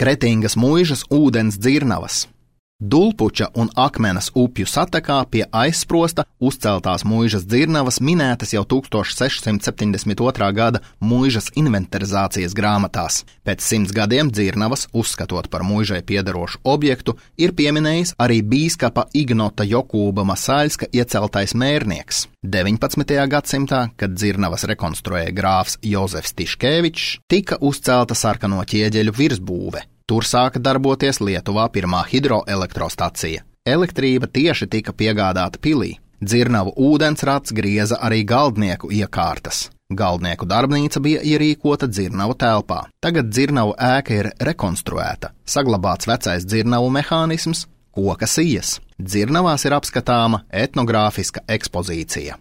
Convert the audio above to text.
Kretingas muižas ūdens dzirnavas. Dulpuča un Akmenes upju satekā pie aizsprosta uzceltās muižas dzirnavas minētas jau 1672. gada muižas inventarizācijas grāmatās. Pēc 100 gadiem dzirnavas, uzskatot par muižai piederošu objektu, ir pieminējis arī bīskapa Ignota Jokūba Masaļska ieceltais mērnieks. 19. gadsimtā, kad dzirnavas rekonstruēja grāfs Jozefs Tiškevičs, tika uzcelta sarkano ķieģeļu virsbūve. Tur sāka darboties Lietuvā pirmā hidroelektrostacija. Elektrība tieši tika piegādāta pilī. Dzirnavu ūdensrats grieza arī galdnieku iekārtas. Galdnieku darbnīca bija ierīkota dzirnavu telpā. Tagad dzirnavu ēka ir rekonstruēta. Saglabāts vecais dzirnavu mehānisms, koka sijas. Dzirnavās ir apskatāma etnogrāfiska ekspozīcija.